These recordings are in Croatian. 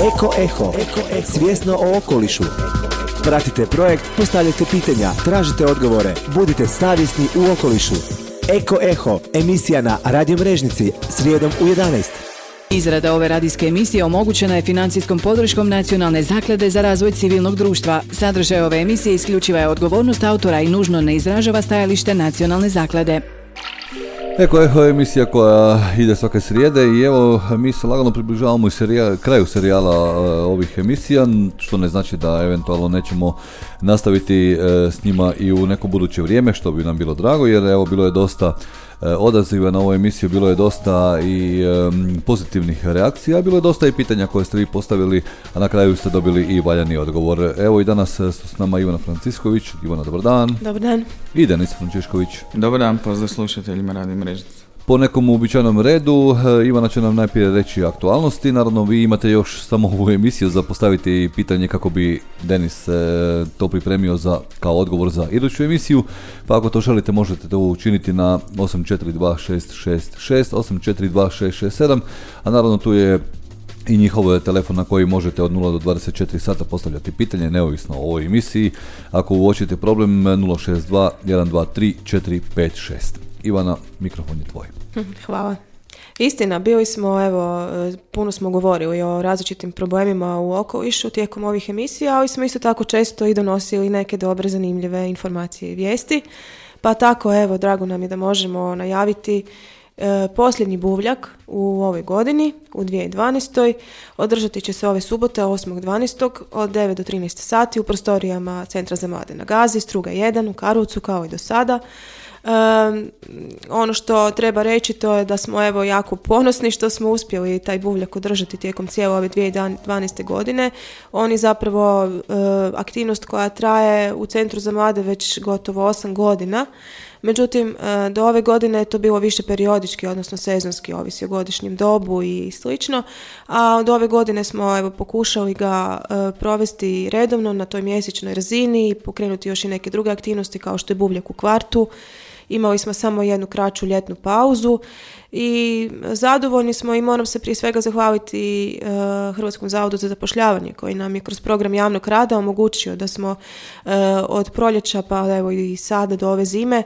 Eko Eho, svjesno o okolišu. Pratite projekt, postavljajte pitanja, tražite odgovore, budite savjesni u okolišu. Eko Eho, emisija na Radio Mrežnici, srijedom u 11. Izrada ove radijske emisije omogućena je financijskom podrškom Nacionalne zaklade za razvoj civilnog društva. Sadržaj ove emisije isključiva je odgovornost autora i nužno ne izražava stajalište Nacionalne zaklade. Eko Eho je emisija koja ide svake srijede i evo mi se lagano približavamo kraju serijala ovih emisija, što ne znači da eventualno nećemo nastaviti s njima i u neko buduće vrijeme, što bi nam bilo drago, jer evo bilo je dosta odaziva na ovu emisiju, bilo je dosta i pozitivnih reakcija, bilo je dosta i pitanja koje ste vi postavili, a na kraju ste dobili i valjani odgovor. Evo i danas su s nama Ivana Francisković. Ivana, dobar dan. Dobar dan. I Denis Frančišković. Dobar dan, pozdrav slušateljima Radio Mrežnice. Po nekom uobičajenom redu, Ivana će nam najprije reći aktualnosti. Naravno, vi imate još samo ovu emisiju za postaviti pitanje kako bi Denis to pripremio kao odgovor za iduću emisiju. Pa ako to želite, možete to učiniti na 842666, 842667, a naravno tu je i njihov telefon na koji možete od 0 do 24 sata postavljati pitanje, neovisno o ovoj emisiji. Ako uočite problem, 062 123 456. Ivana, mikrofon je tvoj. Hvala. Istina, bili smo, puno smo govorili o različitim problemima u okolišu tijekom ovih emisija, ali smo isto tako često i donosili neke dobre, zanimljive informacije i vijesti. Pa tako, drago nam je da možemo najaviti posljednji buvljak u ovoj godini, u 2012. Održati će se ove subote 8.12. od 9 do 13 sati u prostorijama Centra za mlade na Gazi, Struga 1 u Karlovcu, kao i do sada. Ono što treba reći to je da smo jako ponosni što smo uspjeli taj buvljak održati tijekom cijele ove 2012. godine. On je zapravo aktivnost koja traje u Centru za mlade već gotovo 8 godina. Međutim, do ove godine je to bilo više periodički, odnosno sezonski, ovisi o godišnjem dobu i slično, a od ove godine smo pokušali ga provesti redovno na toj mjesečnoj razini i pokrenuti još i neke druge aktivnosti kao što je buvljak u kvartu. Imali smo samo jednu kraću ljetnu pauzu i zadovoljni smo i moram se prije svega zahvaliti Hrvatskom zavodu za zapošljavanje koji nam je kroz program javnog rada omogućio da smo od proljeća pa evo i sada do ove zime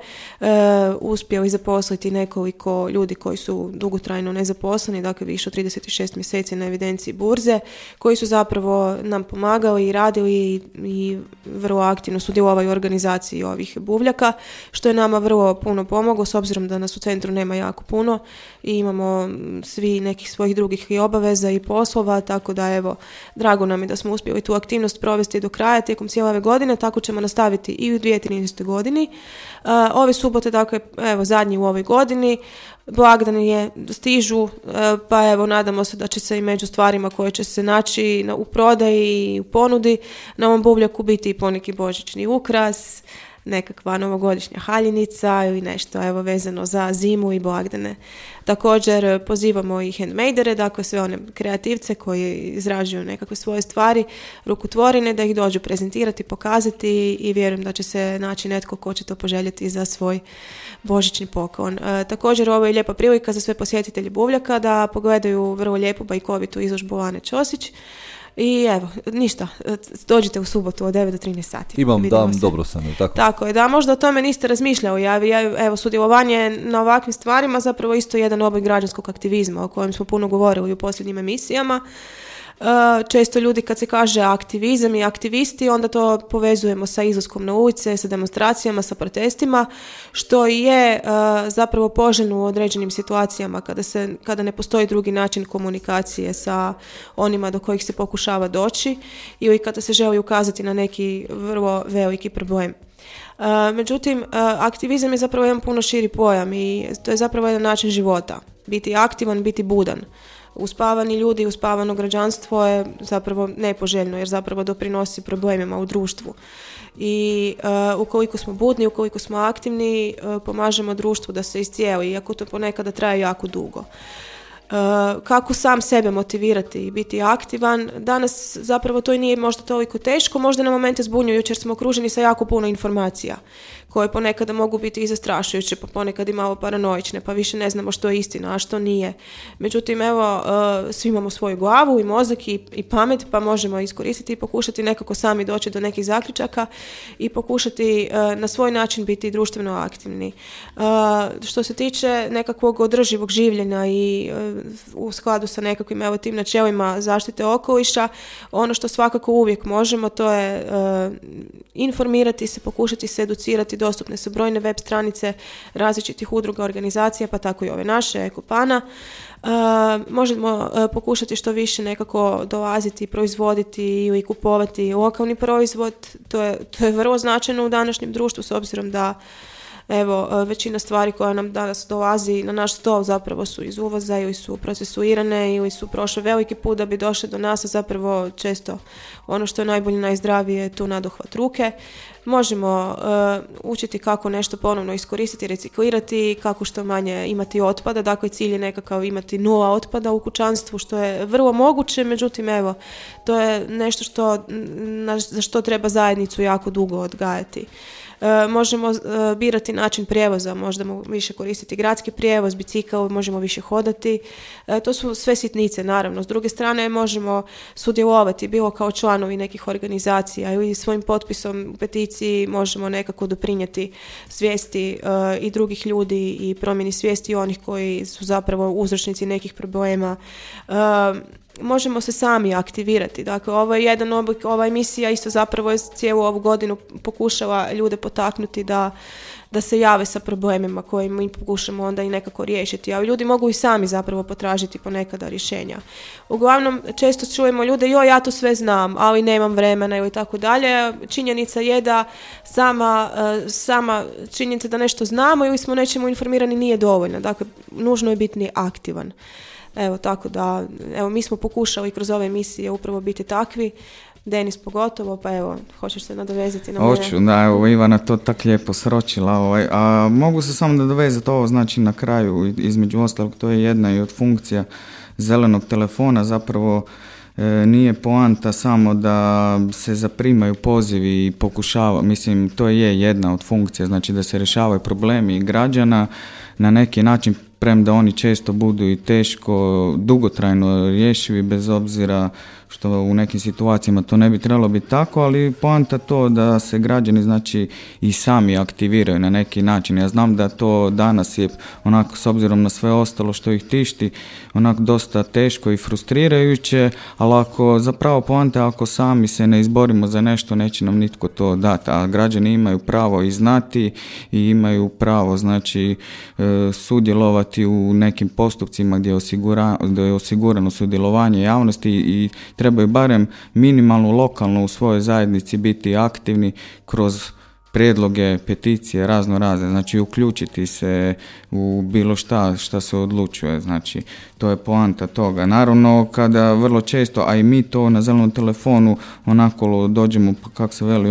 uspjeli zaposliti nekoliko ljudi koji su dugotrajno nezaposleni, dakle više od 36 mjeseci na evidenciji burze, koji su zapravo nam pomagali i radili i vrlo aktivno sudjelovali u organizaciji ovih buvljaka, što je nama vrlo puno pomoglo s obzirom da nas u centru nema jako puno i imamo svi nekih svojih drugih i obaveza i poslova, tako da drago nam je da smo uspjeli tu aktivnost provesti do kraja tijekom cijele ove godine, tako ćemo nastaviti i u 2013. godini. Ove subote, dakle, zadnji u ovoj godini, blagdani stižu, pa nadamo se da će se i među stvarima koje će se naći u prodaji i u ponudi na ovom buvljaku biti i poneki božićni ukras, nekakva novogodišnja haljenica ili nešto vezano za zimu i blagdane. Također pozivamo i handmadere, dakle sve one kreativce koji izrađuju nekakve svoje stvari, rukotvorine, da ih dođu prezentirati, pokazati i vjerujem da će se naći netko ko će to poželjeti za svoj božićni poklon. Također ovo je lijepa prilika za sve posjetitelje buvljaka da pogledaju vrlo lijepu bajkovitu izložbu Lane Ćosić. I ništa, dođite u subotu od 9 do 13 sati. Imam dan dobro sam, tako? Tako je, da, možda o tome niste razmišljali. Sudjelovanje na ovakvim stvarima zapravo isto jedan oblik građanskog aktivizma o kojem smo puno govorili u posljednjim emisijama. Često ljudi kad se kaže aktivizam i aktivisti, onda to povezujemo sa izlaskom na ulice, sa demonstracijama, sa protestima, što je zapravo poželjno u određenim situacijama kada ne postoji drugi način komunikacije sa onima do kojih se pokušava doći ili kada se želi ukazati na neki vrlo veliki problem. Međutim, aktivizam je zapravo jedan puno širi pojam i to je zapravo jedan način života. Biti aktivan, biti budan. Uspavani ljudi, uspavano građanstvo je zapravo nepoželjno jer zapravo doprinosi problemima u društvu. I ukoliko smo budni, ukoliko smo aktivni, pomažemo društvu da se iscijeli, iako to ponekada traje jako dugo. Kako sam sebe motivirati i biti aktivan, danas zapravo to i nije možda toliko teško, možda na momente zbunjujući jer smo okruženi sa jako puno informacija koje ponekada mogu biti i zastrašujuće, pa ponekad i malo paranoične, pa više ne znamo što je istina, a što nije. Međutim, evo, svi imamo svoju glavu i mozak i pamet, pa možemo iskoristiti i pokušati nekako sami doći do nekih zaključaka i pokušati na svoj način biti društveno aktivni. Što se tiče nekakvog održivog življenja i u skladu sa nekakvim evo tim načelima zaštite okoliša, ono što svakako uvijek možemo, to je informirati se, pokušati se educirati, dostupne su brojne web stranice različitih udruga, organizacija, pa tako i ove naše, Ekopana. Možemo pokušati što više nekako dolaziti, proizvoditi ili kupovati lokalni proizvod. To je vrlo značajno u današnjem društvu, s obzirom da evo, većina stvari koja nam danas dolazi na naš stol zapravo su iz uvoza ili su procesuirane ili su prošle veliki put da bi došle do nas, a zapravo često ono što je najbolje, najzdravije je tu nadohvat ruke. Možemo učiti kako nešto ponovno iskoristiti, reciklirati, kako što manje imati otpada, dakle cilj je nekakav imati 0 otpada u kućanstvu, što je vrlo moguće, međutim evo, to je nešto za što treba zajednicu jako dugo odgajati. Možemo birati način prijevoza, možemo više koristiti gradski prijevoz, bicikl, možemo više hodati. To su sve sitnice, naravno. S druge strane, možemo sudjelovati, bilo kao članovi nekih organizacija ili svojim potpisom u peticiji možemo nekako doprinijeti svijesti i drugih ljudi i promjeni svijesti onih koji su zapravo uzročnici nekih problema. Možemo se sami aktivirati. Dakle, ovo je jedan oblik, ova emisija isto zapravo je cijelu ovu godinu pokušala ljude potaknuti da se jave sa problemima koje mi pokušamo onda i nekako riješiti. A ljudi mogu i sami zapravo potražiti ponekada rješenja. Uglavnom, često čujemo ljude, ja to sve znam, ali nemam vremena ili tako dalje. Činjenica je da sama činjenica da nešto znamo ili smo nečemu informirani nije dovoljna. Dakle, nužno je biti aktivan. Evo, tako da, mi smo pokušali kroz ove emisije upravo biti takvi, Denis pogotovo, pa evo, hoćeš se nadovezati na mene? Hoću, da, evo, Ivana to tak lijepo sročila, a mogu se samo nadovezati ovo, znači na kraju, između ostalog, to je jedna i od funkcija zelenog telefona, zapravo nije poanta samo da se zaprimaju pozivi i pokušava, mislim, to je jedna od funkcija, znači da se rješavaju problemi građana na neki način, premda oni često budu i teško, dugotrajno rješivi, bez obzira što u nekim situacijama to ne bi trebalo biti tako, ali poanta to da se građani znači i sami aktiviraju na neki način. Ja znam da to danas je onako, s obzirom na sve ostalo što ih tišti, onako dosta teško i frustrirajuće, ali ako zapravo poanta, ako sami se ne izborimo za nešto, neće nam nitko to dati, a građani imaju pravo i znati i imaju pravo znači sudjelovati u nekim postupcima gdje je osigurano sudjelovanje javnosti i trebaju barem minimalno lokalno u svojoj zajednici biti aktivni kroz prijedloge, peticije, razne, znači uključiti se u bilo šta se odlučuje, znači to je poanta toga. Naravno, kada vrlo često, a i mi to na zelenom telefonu onako dođemo, kako se veli,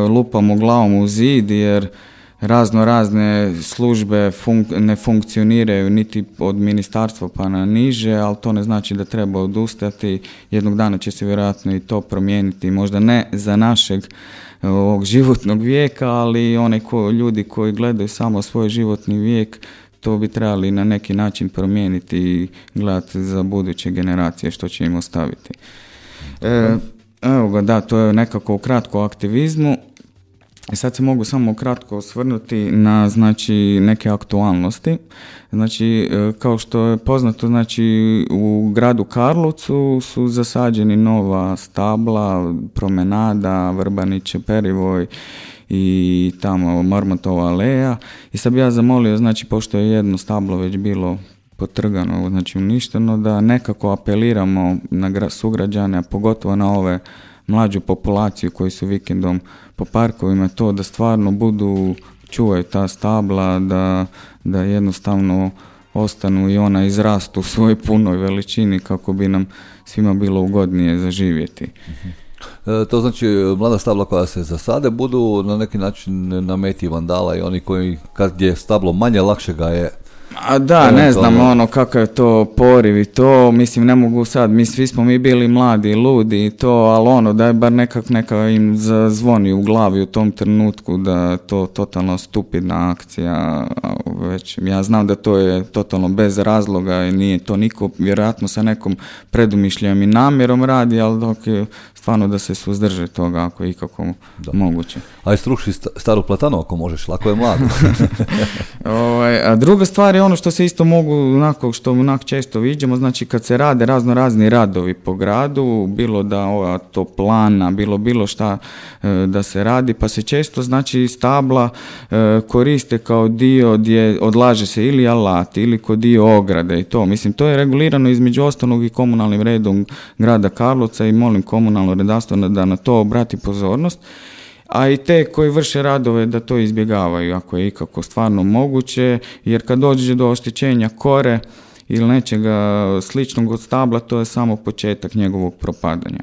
lupamo glavom u zid, jer razne službe ne funkcioniraju niti od ministarstva pa na niže, ali to ne znači da treba odustati. Jednog dana će se vjerojatno i to promijeniti, možda ne za našeg ovog životnog vijeka, ali ljudi koji gledaju samo svoj životni vijek, to bi trebali na neki način promijeniti i gledati za buduće generacije što će im ostaviti. Evo ga, da, to je nekako ukratko o aktivizmu. I sad se mogu samo kratko osvrnuti na znači neke aktualnosti. Znači, kao što je poznato, znači u gradu Karlovcu su zasađeni nova stabla, promenada, Vrbaniće, Perivoj i tamo Marmotova aleja. I sad bi ja zamolio, znači pošto je jedno stablo već bilo potrgano, znači uništeno, da nekako apeliramo na sugrađane, a pogotovo na ove mlađu populaciju koji su vikendom po parkovima, to da stvarno čuvaju ta stabla, da jednostavno ostanu i ona izrastu u svojoj punoj veličini kako bi nam svima bilo ugodnije zaživjeti. To znači mlada stabla koja se zasade budu na neki način na meti vandala i oni koji kad je stablo manje, lakše ga je A da, ne znam kakav je to poriv i to, mislim ne mogu sad, svi smo mi bili mladi i ludi i to, ali da je bar neka im zazvoni u glavi u tom trenutku da to totalno stupidna akcija, već ja znam da to je totalno bez razloga i nije to niko vjerojatno sa nekom predumišljajom i namjerom radi, ali dok je stvarno da se suzdrže toga ako je ikako moguće. Aj struši staru platanu ako možeš, lako je mlado. A druga stvar je ono što se isto mogu, što često viđamo, znači kad se rade razni radovi po gradu, bilo da toplana, bilo šta da se radi, pa se često znači stabla koriste kao dio gdje odlaže se ili alat ili kod dio ograde i to. Mislim, to je regulirano između ostalog i komunalnim redom grada Karlovca i molim komunalno redarstvo da na to obrati pozornost. A i te koji vrše radove da to izbjegavaju ako je ikako stvarno moguće, jer kad dođe do oštećenja kore ili nečega sličnog od stabla, to je samo početak njegovog propadanja.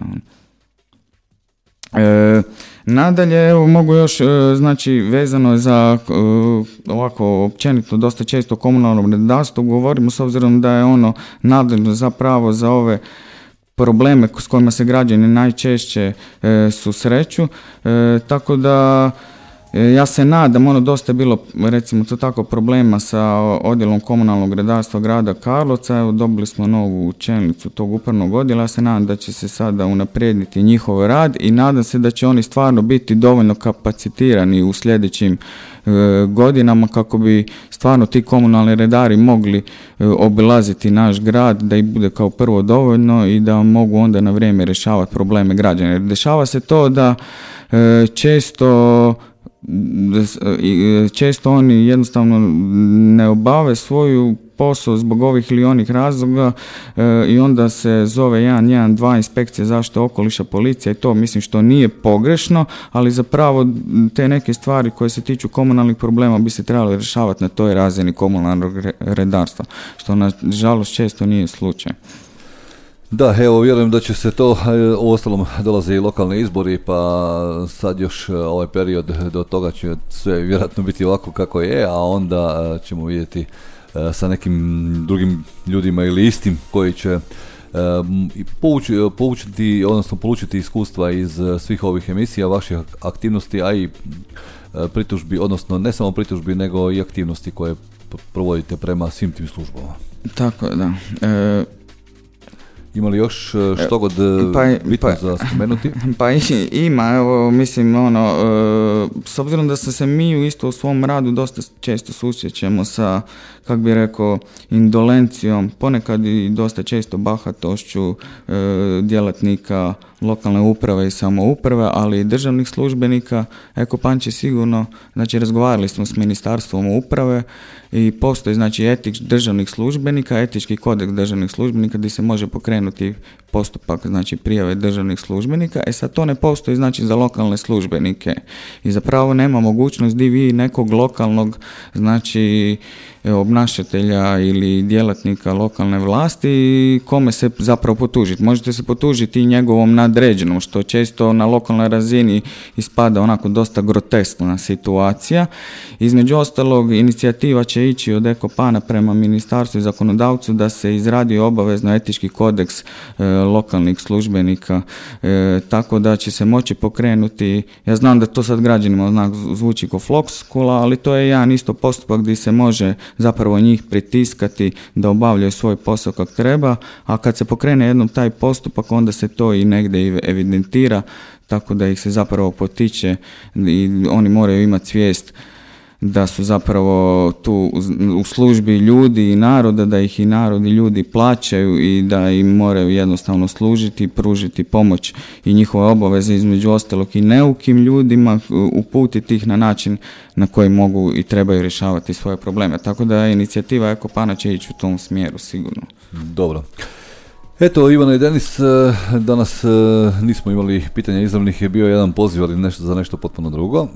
Nadalje, evo mogu još, znači vezano je za ovako općenito dosta često komunalnom redarstvu govorimo s obzirom da je ono nadležno zapravo za ove probleme s kojima se građani najčešće susreću, tako da ja se nadam, dosta je bilo recimo to tako problema sa odjelom komunalnog redarstva grada Karlovca, evo dobili smo novu čelnicu tog upravnog odjela, ja se nadam da će se sada unaprijediti njihov rad i nadam se da će oni stvarno biti dovoljno kapacitirani u sljedećim godinama kako bi stvarno ti komunalni redari mogli obilaziti naš grad, da ih bude kao prvo dovoljno i da mogu onda na vrijeme rješavati probleme građana. Jer dešava se to da često oni jednostavno ne obave svoju posao zbog ovih ili onih razloga i onda se zove 112 inspekcije zaštite okoliša, policija i to mislim što nije pogrešno, ali zapravo te neke stvari koje se tiču komunalnih problema bi se trebalo rješavati na toj razini komunalnog redarstva, što nažalost često nije slučaj. Da, evo vjerujem da će se to, u ostalom dolaze i lokalni izbori, pa sad još ovaj period do toga će sve vjerojatno biti ovako kako je, a onda ćemo vidjeti sa nekim drugim ljudima ili istim koji će polučiti iskustva iz svih ovih emisija, vaših aktivnosti, a i pritužbi, odnosno ne samo pritužbi nego i aktivnosti koje provodite prema svim tim službama. Tako je, da. Ima li još što god bitno za spomenuti? Pa ima, evo, mislim, s obzirom da se mi isto u svom radu dosta često susrećemo sa, kak bi rekao, indolencijom, ponekad i dosta često bahatošću djelatnika lokalne uprave i samouprave, ali i državnih službenika. Eko-Pan će sigurno, znači razgovarali smo s Ministarstvom uprave i postoji znači državnih službenika, etički kodeks državnih službenika gdje se može pokrenuti postupak znači prijave državnih službenika. Sad to ne postoji znači za lokalne službenike i zapravo nema mogućnost di vi nekog lokalnog znači obnašatelja ili djelatnika lokalne vlasti kome se zapravo potužiti. Možete se potužiti i njegovom nadređenom, što često na lokalnoj razini ispada onako dosta groteskna situacija. Između ostalog, inicijativa će ići od Eko-Pana prema ministarstvu i zakonodavcu da se izradi obavezno etički kodeks lokalnih službenika, tako da će se moći pokrenuti, ja znam da to sad građanima zvuči kao floskula, ali to je jedan isto postupak gdje se može zapravo njih pritiskati da obavljaju svoj posao kako treba, a kad se pokrene jednom taj postupak, onda se to i negdje evidentira, tako da ih se zapravo potiče i oni moraju imati svijest da su zapravo tu u službi ljudi i naroda, da ih i narod i ljudi plaćaju i da im moraju jednostavno služiti, pružiti pomoć i njihove obaveze između ostalog i neukim ljudima, uputiti ih na način na koji mogu i trebaju rješavati svoje probleme. Tako da inicijativa Eko-Pana će ići u tom smjeru sigurno. Dobro. Eto, Ivana i Denis, danas nismo imali pitanja izravnih, je bio jedan poziv, ali za nešto potpuno drugo.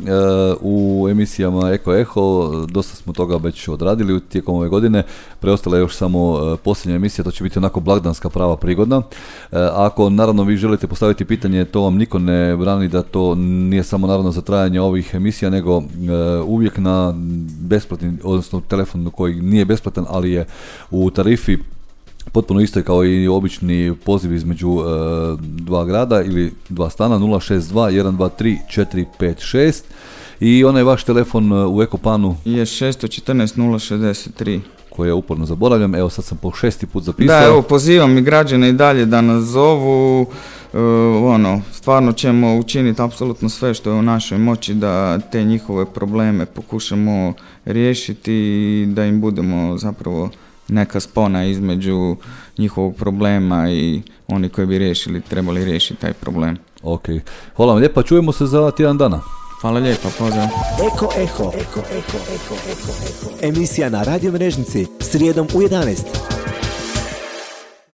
U emisijama Eko Eho dosta smo toga već odradili tijekom ove godine, preostala je još samo posljednja emisija, to će biti onako blagdanska prava prigodna. Ako naravno vi želite postaviti pitanje, to vam niko ne brani, da to nije samo naravno za trajanje ovih emisija, nego uvijek na besplatni, odnosno telefon koji nije besplatan, ali je u tarifi potpuno isto kao i obični poziv između dva grada ili dva stana, 062 123 456, i onaj vaš telefon u Ekopanu je 614 063 koje uporno zaboravljam, evo sad sam po 6. put zapisao. Da, evo pozivam i građane i dalje da nas zovu, stvarno ćemo učiniti apsolutno sve što je u našoj moći da te njihove probleme pokušamo riješiti i da im budemo zapravo neka spona između njihovog problema i oni koji bi trebali riješiti taj problem. Ok, hvala vam lijepa, čujemo se za tjedan dana. Hvala lijepa, pozdrav. Eko Eho. Emisija na Radio Mrežnici, srijedom u 11.